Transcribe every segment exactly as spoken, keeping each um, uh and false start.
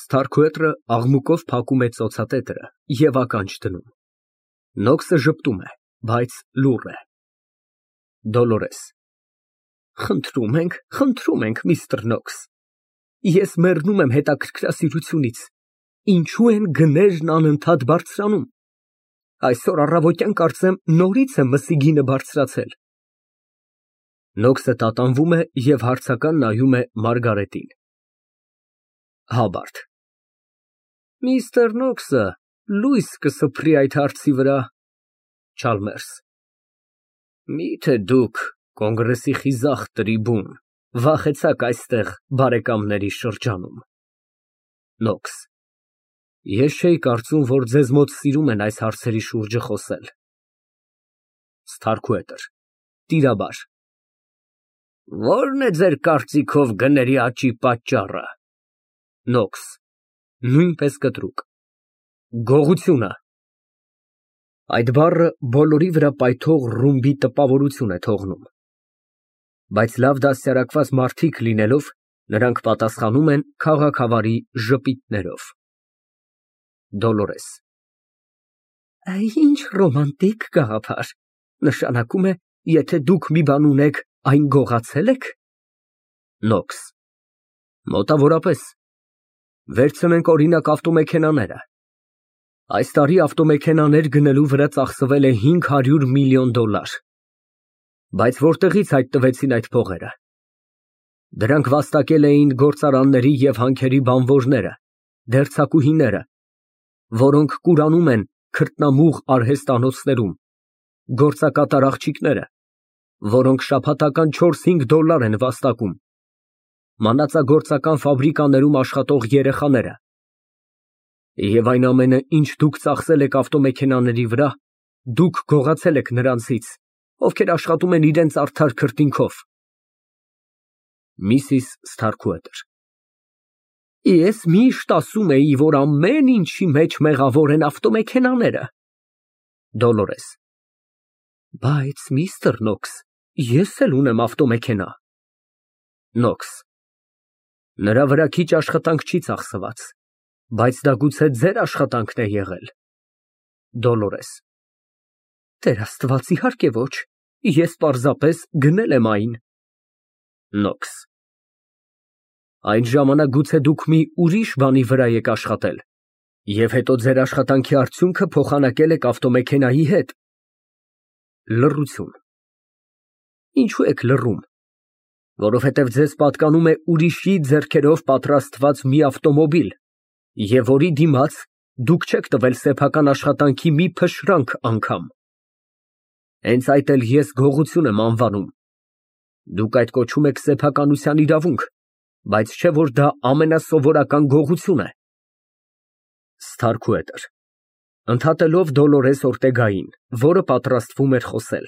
Ստարքուետրը աղմուկով փակում է ծոցատետրը և ականջ դնում։ Նոքսը ժպտում է, բայց լուռ է։ ԴՈԼՈՐԵՍ ֊ Խնդրում ենք, խնդրում ենք, միստր Նոքս, ես մեռնում եմ հետաքրքրասիրությունից, ինչո՞ւ են գներն անընդհատ բարձրանում։ Այսօր առավոտյան կարծեմ նորից է մսի գինը բարձրացել։ (Նոքսը տատանվում է և հարցական նայում է Մարգարիտին)։ (Հաբարդ) Միստր Նոքսը լույս կսփռի այդ հարցի վրա։ (Չալմերս) Մի՞թե դուք, կոնգրեսի խիզախ տրիբուն, վախեցաք այստեղ բարեկամների շրջանում։ (Նոքս) Ես չէի կարծում, որ ձեզ մոտ սիրում են այս հարցերի շուրջը խոսել։ (Ստարքուետր) (Տիրաբար) Ո՞րն է ձեր կարծիքով գների աճի պատճառը։ (Նոքս) (Նույնպես կտրուկ) Գողությունը։ (Այդ բառը բոլորի վրա պայթող ռումբի տպավորություն է թողնում, բայց լավ դաստիարակված մարդիկ լինելով, նրանք պատասխանում են քաղաքավարի ժպիտներով)։ (Դոլորես) Ինչ ռոմանտիկ գաղափար, նշանակում է, եթե դուք մի բան ունեք, այն գողացե՞լ եք։ (Նոքս) Մոտավորապես։ Վերցնենք, օրինակ, ավտոմեքենաները։ Այս տարի ավտոմեքենաներ գնելու վրա ծախսվել է հինգ հարյուր միլիոն դոլար։ Բայց որտեղի՞ց հայտնվեցին այդ փողերը։ Դրանք վաստակել էին գործարանների և հանքերի բանվորները, դերձակուհիները, որոնք կուրանում են քրտնամուղ արհեստանոցներում, գործակատար աղջիկները, որոնք շաբաթական չորս֊հինգ դոլար են վաստակում, մանածագործական ֆաբրիկաներում աշխատող երեխաները։ Եվ այն ամենը, ինչ դուք ծախսել եք ավտոմեքենաների վրա, դուք գողացել եք նրանցից, ովքեր աշխատում են իրենց արդար քրտինքով։ (Միսիս Ստարքուետր) Ես միշտ ասում էի, որ ամեն ինչի մեջ մեղավոր են ավտոմեքենաները։ (Դոլորես) Բայց, միստր Նոքս, ես էլ ունեմ ավտոմեքենա։ (Նոքս) Նրա վրա քիչ աշխատանք չի ծախսված, բայց դա գուցե ձեր աշխատանքն է եղել։ (Դոլորես) Տեր Աստված, իհարկե ոչ, ես պարզապես գնել եմ այն։ (Նոքս) Այդ ժամանակ գուցե դուք մի ուրիշ բանի վրա եք աշխատել, և հետո ձեր աշխատանքի արդյունքը փոխանակել եք ավտոմեքենայի հետ։ (Լռություն) Ինչո՞ւ եք լռում։ Որովհետև ձեզ պատկանում է ուրիշի ձեռքերով պատրաստված մի ավտոմոբիլ, և որի դիմաց դուք չեք տվել սեփական աշխատանքի մի փշրանք անգամ։ Հենց այդ էլ ես գողություն եմ անվանում։ Դուք այդ կոչում եք սեփականության իրավունք, բայց չէ՞ որ դա ամենասովորական գողություն է։ (Ստարքուետր) (Ընդհատելով Դոլորես Օրտեգային, որը պատրաստվում էր խոսել)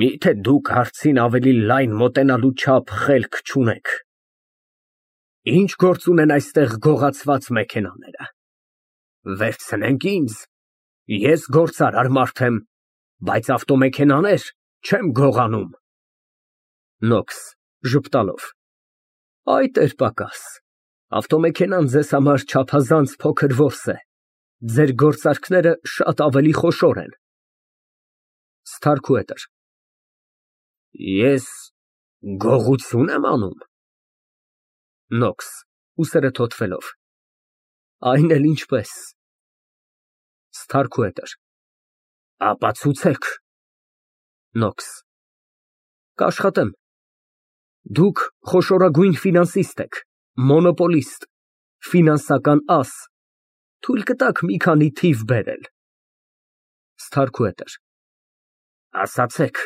Մի՞թե դուք հարցին ավելի լայն մոտենալու չափ խելք չունեք։ Ի՞նչ գործ ունեն այստեղ գողացված մեքենաները։ Վերցնենք ինձ, ես գործարար մարդ եմ, բայց ավտոմեքենաներ չեմ գողանում։ (Նոքս (Ժպտալով) Այ տեր֊պակաս, ավտոմեքենան ձեզ համար չափազանց փոքր որս է, ձեր գործարքները շատ ավելի խոշոր են։ (Ստարքուետր) Ես գողությո՞ւն եմ անում։ (Նոքս ուսերը թոթվելով) Այն էլ ինչպես։ (Ստարքուետր) Ապացուցեք։ (Նոքս) Կաշխատեմ։ Դուք խոշորագույն ֆինանսիստ եք, մոնոպոլիստ, ֆինանսական աս, թույլ կտաք մի քանի թիվ բերել։ (Ստարքուետր) Ասացեք։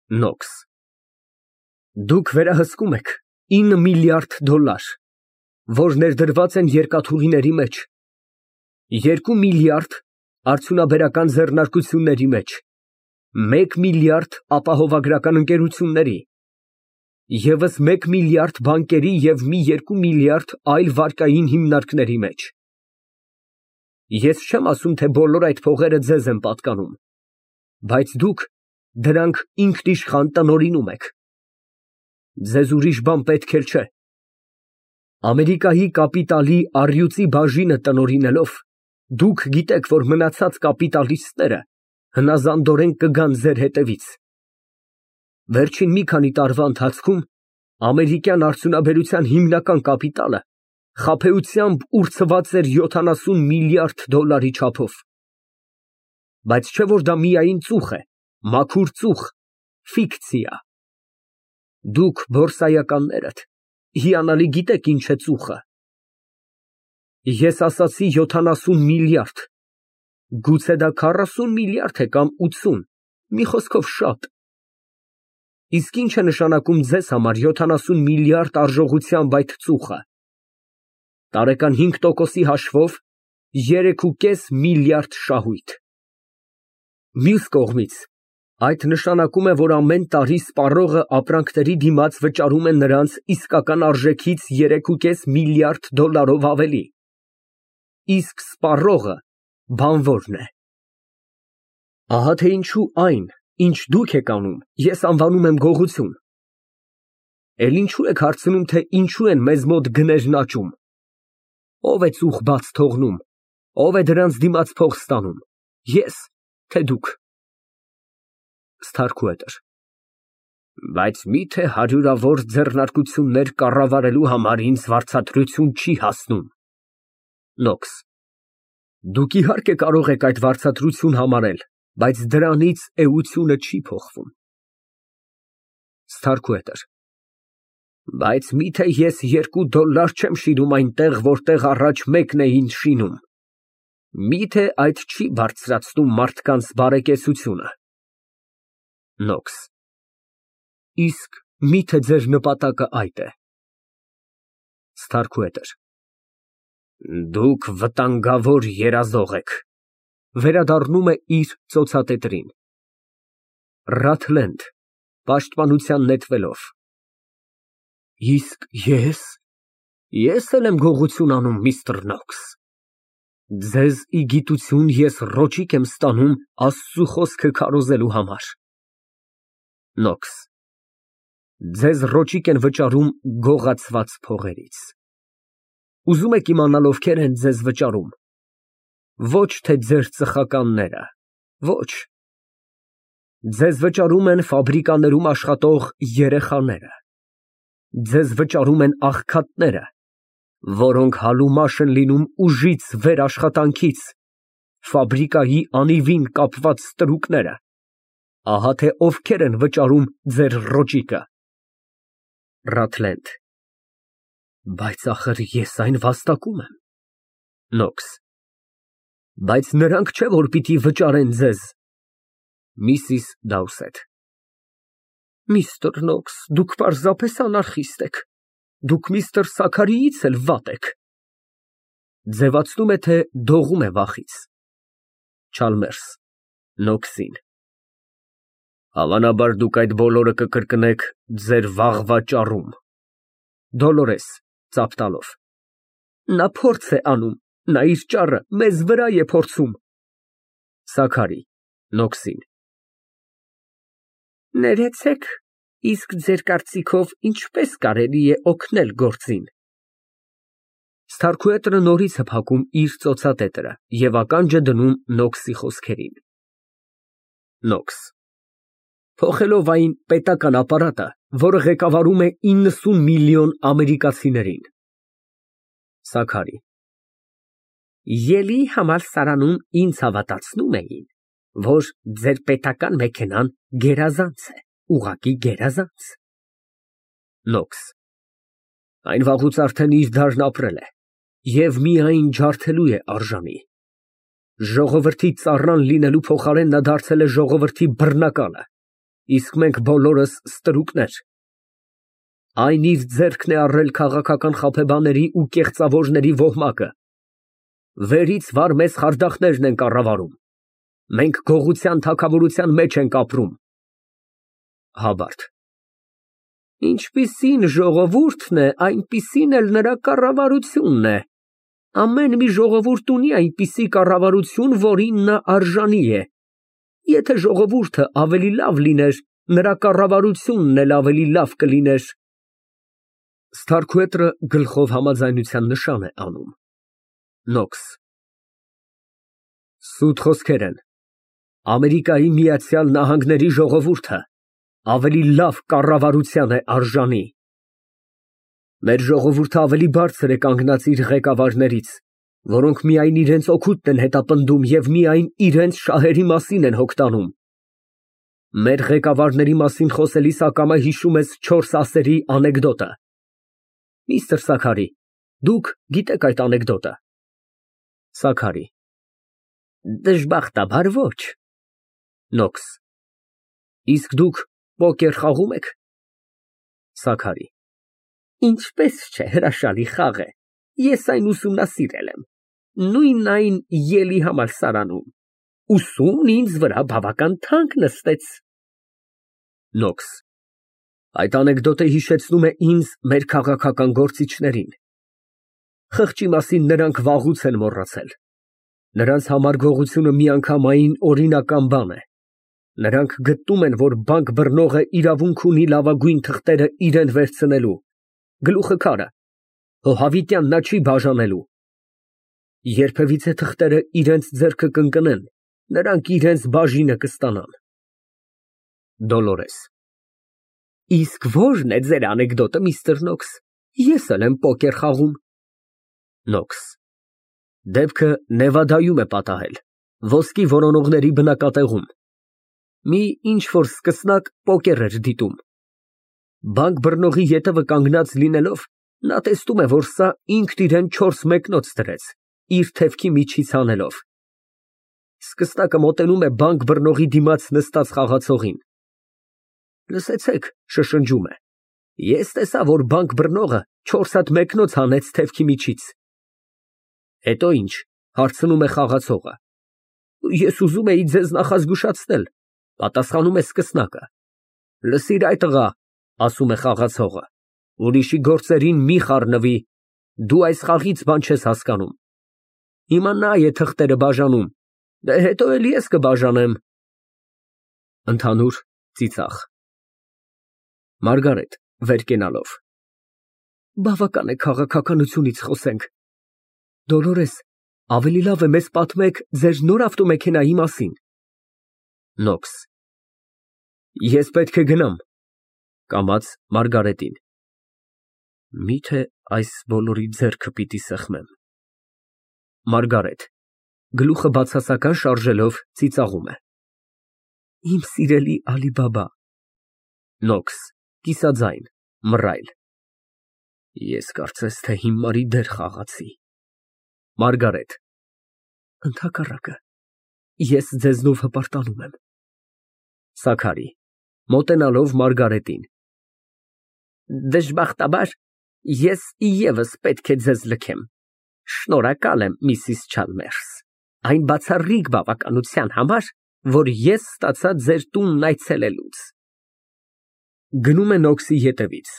(Նոքս) Դուք վերահսկում եք ինը միլիարդ դոլար, որ ներդրված են երկաթուղիների մեջ, երկու միլիարդ արդյունաբերական ձեռնարկությունների մեջ, մեկ միլիարդ ապահովագրական ընկերությունների, ևս մեկ միլիարդ բանկերի և մի երկու միլիարդ այլ վարկային հիմնարկների մեջ։ Ես չեմ ասում, թե բոլոր այդ փողերը ձեզ են պատկանում, բայց դուք դրանք ինքնիշխան տնօրինում եք։ Ձեզ ուրիշ բան պետք էլ չէ։ Ամերիկայի կապիտալի առյուծի բաժինը տնօրինելով, դուք գիտեք, որ մնացած կապիտալիստները հնազանդորեն կգան ձեր հետևից։ Վերջին մի քանի տարվա ընթացքում ամերիկյան արդյունաբերության հիմնական կապիտալը խաբեությամբ ուրցված էր յոթանասուն միլիարդ դոլարի չափով։ Բայց չէ որ դա միայն ծուխ է, մաքուր ծուխ, ֆիկցիա։ Դուք բորսայականներդ հիանալի գիտեք ինչ է ծուխը։ Ես ասացի յոթանասուն միլիարդ, գուցե դա քառասուն միլիարդ է կամ ութսուն, մի խոսքով շատ։ Իսկ ինչ է նշանակում ձեզ համար յոթանասուն միլիարդ արժողությամբ այդ ծուխը։ Տարեկան հինգ տոկոսի հաշվով երեք ու կես միլիարդ շահույթ։ Մյուս կողմից, այդ նշանակում է, որ ամեն տարի սպառողը ապրանքների դիմաց վճարում է նրանց իսկական արժեքից երեք ու կես միլիարդ դոլարով ավելի։ Իսկ սպառողը բանվորն է։ Ահա թե ինչու այն, ինչ դուք եք անում, ես անվանում եմ գողություն։ Էլ ինչու եք հարցնում, թե ինչու են մեզ մոտ գներն աճում։ Ո՞վ է ծուխ բաց թողնում, ո՞վ է դրանց դիմաց փող ստանում, ես, թե դուք։ Սթարքուհետր Բայց մի՞թե հարյուրավոր ձեռնարկություններ կառավարելու համար ինձ վարձատրություն չի հասնում։ Նոքս Դուք իհարկե կարող եք այդ վարձատրություն համարել, բայց դրանից էությունը չի փոխվում։ Սթարքուհետր Բայց մի՞թե ես երկու դոլար չեմ շինում այնտեղ, որտեղ առաջ մեկն էին շինում։ Մի՞թե այդ չի բարձրացնում մարդկանց բարեկեցությունը։ Նոքս Իսկ մի՞թե ձեր նպատակը այդ է։ Սթարքուհետր Դուք վտանգավոր երազող եք։ (Վերադառնում է իր ծոցատետրին)։ Ռաթլենդ (Պաշտպանության նետվելով) Իսկ ես, ես էլ եմ գողություն անում, միստր Նոքս։ Ձեզ ի գիտություն ես ռոճիկ եմ ստանում Աստծու խոսքը քարոզելու համար։ Նոքս Ձեզ ռոճիկ են վճարում գողացված փողերից։ Ուզում եք իմանալ ովքեր են ձեզ վճարում։ Ոչ թե ձեր ծխականները, ոչ։ Ձեզ վճարում են ֆաբրիկաներում աշխատող երեխաները։ Ձեզ վճարում են աղքատները, որոնք հալումաշ են լինում ուժից վեր աշխատանքից, ֆաբրիկայի անիվին կապված ստրուկները։ Ահա թե ովքեր են վճարում ձեր ռոճիկը։ Ռաթլենդ Բայց ախր ես այն վաստակում եմ։ Նոքս Բայց նրանք չէ որ պիտի վճարեն ձեզ։ Միսիս Դաուսեթ Միստր Նոքս, դուք պարզապես անարխիստ եք, դուք միստր Սաքարիից էլ վատ եք։ (Ձևացնում է, թե դողում է վախից)։ Չալմերս Նոքսին Հավանաբար դուք այդ բոլորը կկրկնեք ձեր վաղվա ճառում։ Դոլորես (Ծափ տալով) Նա փորձ է անում, նա իր ճառը մեզ վրա է փորձում։ Սաքարի (Նոքսին) Ներեցեք, իսկ ձեր կարծիքով ինչպես կարելի է օգնել գործին։ Սթարքուհետը նորից է փակում իր ծոցատետրը և ականջը դնում Նոքսի խոսքերին։ Նոքս Փոխելով այն պետական ապարատը, որը ղեկավարում է իննսուն միլիոն ամերիկացիներին։ Սաքարի Ելի համալսարանում ինձ հավատացնում էին, որ ձեր պետական մեքենան գերազանց է, ուղղակի գերազանց։ Նոքս Այն վաղուց արդեն իր դարն ապրել է և միայն ջարդելու է արժանի։ Ժողովրդի ծառան լինելու փոխարեն նա դարձել է ժողովրդի բռնակալը, իսկ մենք բոլորս ստրուկներ։ Այն իր ձեռքն է առել քաղաքական խաբեբաների ու կեղծավորների ոհմակը։ Վերից վար մեզ խարդախներն են կառավարում։ Մենք գողության թագավորության մեջ ենք ապրում։ Հաբարդ Ինչպիսին ժողովուրդն է, այնպիսին էլ նրա կառավարությունն է։ Ամեն մի ժողովուրդ ունի այնպիսի կառավարություն, որին նա արժանի է։ Եթե ժողովուրդը ավելի լավ լիներ, նրա կառավարությունն էլ ավելի լավ կլիներ։ Սթարքուետրը գլխով համաձայնության նշան է անում։ Նոքս։ Սուտ խոսքեր են։ Ամերիկայի Միացյալ Նահանգների ժողովուրդը ավելի լավ կառավարության է արժանի։ Մեր ժողովուրդը ավելի բարձր է կանգնած իր ղեկավարներից, որոնք միայն իրենց օգուտն են հետապնդում և միայն իրենց շահերի մասին են հոգտանում։ Մեր ղեկավարների մասին խոսելիս ակամա հիշում ես չորս ասերի անեկդոտը։ Միստր Սաքարի, դուք գիտեք այդ անեկդոտը։ Սաքարի։ Դժբախտաբար ոչ։ Նոքս։ Իսկ դուք պոկեր խաղում եք։ Սաքարի։ Ինչպես չէ, հրաշալի խաղ է, ես այն ուսումնասիրել եմ, նույն այն ելի համալսարանում, ուսումն ինձ վրա բավական թանկ նստեց։ Նոքս։ Այդ անեկդոտը հիշեցնում է ինձ մեր քաղաքական գործիչներին։ Խղճի մասին նրանք վաղուց են մոռացել։ Նրանց համար գողությունը միանգամայն օրինական բան է։ Նրանք գտնում են, որ բանկ բռնողը իրավունք ունի լավագույն թղթերը իրան վերցնելու, գլուխը քարը, հո նա չի բաժանելու։ Երբևիցե թղթերը իրենց ձեռքը կընկնեն, նրանք իրենց բաժինը կստանան։ Դոլորես։ Իսկ ո՞րն է ձեր անեկդոտը, միստր Նոքս, ես էլ եմ պոկեր խաղում։ Նոքս։ Դեպքը Նևադայում է պատահել, ոսկի որոնողների բնակատեղում։ Մի ինչ֊որ սկսնակ պոկեր էր դիտում։ Բանկ բռնողի ետևը կանգնած լինելով, նա տեսնում է, որ սա ինքն իրան չորս մեկնոց դրեց, իր թևքի միջից հանելով։ Սկսնակը մոտենում է բանկ բռնողի դիմաց նստած խաղացողին։ Լսեցեք, շշնջում է, ես տեսա, որ բանկ բռնողը չորս հատ մեկնոց հանեց թևքի միջից։ Հետո ինչ, հարցնում է խաղացողը։ Ես ուզում էի ձեզ նախազգուշացնել, պատասխանում է սկսնակը։ Լսիր այ տղա, ասում է խաղացողը, ուրիշի գործերին մի խառնվի, դու այս խաղից բան չես հասկանում։ Հիմա նա է թղթերը բաժանում, դե հետո էլ ես կբաժանեմ։ Ընդհանուր ծիծաղ։ Մարգարետ վեր կենալով։ Բավական է քաղաքականությունից խոսենք։ Դոլորես, ավելի լավ է մեզ պատմեք ձեր նոր ավտոմեքենայի մասին։ Նոքս։ Ես պետք է գնամ։ Կամաց Մարգարետին։ Միթե այս բոլորի ձեռքը պիտի սեղմեմ։ Մարգարետ գլուխը բացասական շարժելով ծիծաղում է։ Իմ սիրելի Ալի֊Բաբա։ Նոքս կիսաձայն, մռայլ։ Ես կարծես թե հիմարի դեր խաղացի։ Մարգարետ ընդհակառակը, ես ձեզնով հպարտանում եմ։ Սաքարի մոտենալով Մարգարետին։ Դժբախտաբար ես ևս պետք է ձեզ լքեմ։ Շնորհակալ եմ, Միսիս Չալմերս, այն բացառիկ բավականության համար, որ ես ստացա ձեր տունն այցելելուց։ Գնում է Նոքսի ետևից։